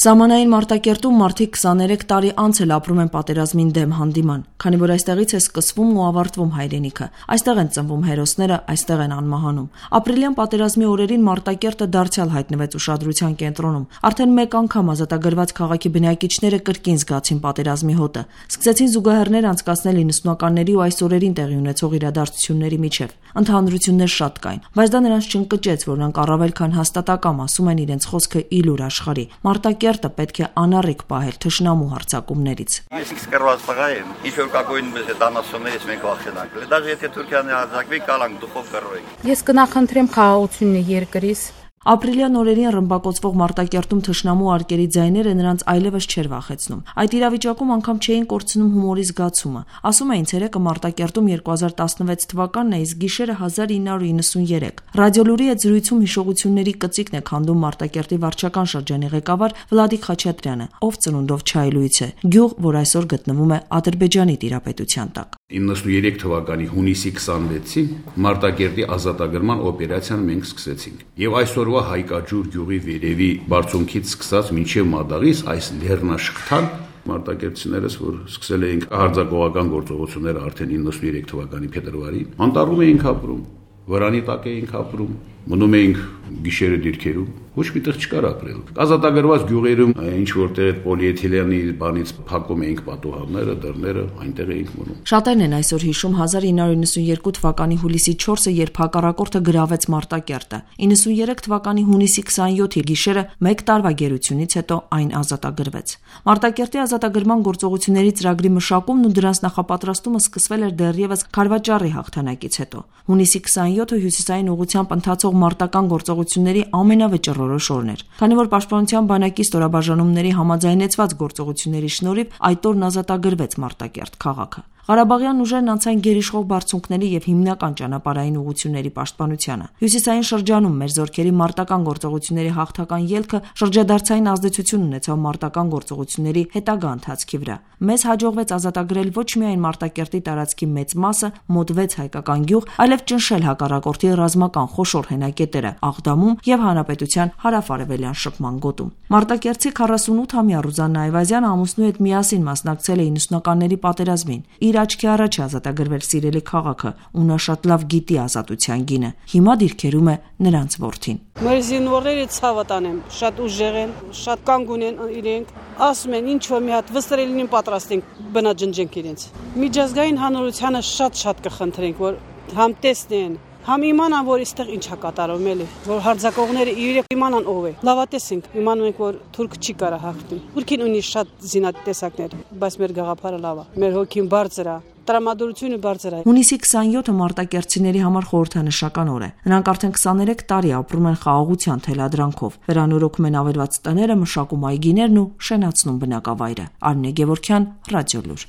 Սահմանային Մարտակերտում մարդիկ 23 տարի անց էլ ապրում են պատերազմին դեմ հանդիման, քանի որ այստեղից է սկսվում ու ավարտվում հայրենիքը, այստեղ են ծնվում հերոսները, այստեղ են անմահանում։ Ապրիլյան պատերազմի օրերին Մարտակերտը դարձյալ հայտնվեց ուշադրության կենտրոնում։ Արդեն մեկ անգամ ազատագրված քաղաքի բնակիչները կրկին զգացին պատերազմի հոտը, սկսեցին զուգահեռներ անցկացնել 90-ականների ու այս օրերին տեղի ունեցող իրադարձությունների միջև։ Ընդհանրություններ շատ կային, բայց դա նրանց չընկճեց, որ նրանք առավել քան հաստատակամ ասում են իրենց խոսքը իլուր աշխարհի։ Մարտակերտը պետք է անառիկ պահել թշնամու հարձակումներից։ Ես սկսված տղա եմ, ինչ որ կակոյին մեզ դանասումներից մենք վախենանք։ Դաժե եթե Թուրքիան հարձակվի, կալանք դուխով կռվենք։ Ես կնախընտրեմ խաղաղությունն երկրից։ Ապրիլյան օրերին ռմբակոծվող Մարտակերտում թշնամու արկերի ձայները նրանց այլևս չէր վախեցնում։ Այդ իրավիճակում անգամ չէին կորցնում հումորի զգացումը։ Ասում էին ցերեկը Մարտակերտում 2016 թվականն է, իսկ գիշերը 1993։ Ռադիոլուրի հետ զրույցում հիշողությունների կծիկն է քանդում Մարտակերտի վարչական շրջանի ղեկավար Վլադիկ Խաչատրյանը, ով ծնունդով չայլույց է, գյուղ, որ այսօր գտնվում է Ադրբեջանի տիրապետության տակ։ 93 թվականի հունիսի 26-ին Մարտակերտի ազատագրման օպերացիան մենք սկսեցինք։ Եվ այսօրվա Հայկաջուր գյուղի վերևի բարձունքից սկսած մինչև Մադաղիս այս լեռնաշղթան մարտակերտցիներս, որ սկսել էինք հարձակողական գործողությունները արդեն 93 թվականի փետրվարին, անտառում էինք ապրում, վրանի տակ էինք ապրում, մնում էինք գիշերը դիրքերում, ոչ միտեղ չկար ապրել։ Ազատագրված գյուղերում ինչ որտեղ այդ պոլիէթիլենի բանից փակում էինք պատուհանները, դռները, այնտեղ էինք մնում։ Շատերն են այսօր հիշում 1992 թվականի հուլիսի 4-ը, երբ հակառակորդը գրավեց Մարտակերտը։ 93 թվականի հունիսի 27-ի գիշերը մեկ տարվա գերությունից հետո այն ազատագրվեց։ Մարտակերտի ազատագրման գործողությունների ծրագրի մշակումն ու դրանց նախապատրաստումը սկսվել էր դեռևս Քարվաճառի հաղթանակից հետո։ Հունիսի 27-ը հյուսիսային ուղղությամբ ընթացող մարտական գործողությունների ամենավճռորոշ օրն էր, քանի որ Պաշտպանության բանակի ստորաբաժանումների համաձայնեցված գործողությունների շնորհիվ այդ օրն ազատագրվեց Մարտակերտ քաղաքը։ Ղարաբաղյան ուժերն անցան գերիշխող բարձունքների եւ հիմնական ճանապարհային ուղղությունների պաշտպանությանը։ Հյուսիսային շրջանում մեր զորքերի մարտական գործողությունների հաղթական ելքը շրջադարձային ազդեցություն ունեցավ մարտական գործողությունների հետագա ընթացքի վրա։ Մեզ հաջողվեց ազատագրել ոչ միայն Մարտակերտի տարածքի մեծ մասը, մոտ 6 հայկական գյուղ, այլև ճնշել հակառակորդի ռազմական խոշոր հենակետերը Աղդամում եւ Հանրապետության հարավ-արևելյան շփման գոտում։ Մարտակերտցի 48-ամյա Ռուզաննա Այվազյանը ամուսնու հետ միասին մասնակցել է 90-ականների պատերազմին։ Իր աչքի առաջ ազատագրվել սիրելի քաղաքը, ու նա շատ լավ գիտի ազատության գինը։ Հիմա դիրքերում է նրանց որդին։ Մեր զինվորները ցավը տանեմ, շատ ուժեղ են, շատ կանգուն են իրենք, ասում են ինչ որ մի հատ վստրելին պատրաստ ենք բնաջնջենք իրենց։ Միջազգային հանրությանը շատ կխնդրենք, որ համ տեսնեն, համ իմանան, որ այստեղ ինչ է կատարվում էլի, որ հարձակողները իրենք իմանան ով է։ Լավատեսենք, իմանում ենք, որ թուրք չի կարա հաղթի։ Թուրքին ունի շատ զինատեսակներ, բայց մեր գաղափարը լավ է։ Մեր հոգին բարձր է, տրամադրությունը բարձր է։ Հունիսի 27-ը մարտակերտցիների համար խորհրդանշական օր է։ Նրանք արդեն 23 տարի ապրում են խաղաղության թելադրանքով, վերանորոգում են ավերված տները, մշակում այգիներն ու շենացնում բնակավայրը։ Արմինե Գևորգյան, Ռադիոլուր։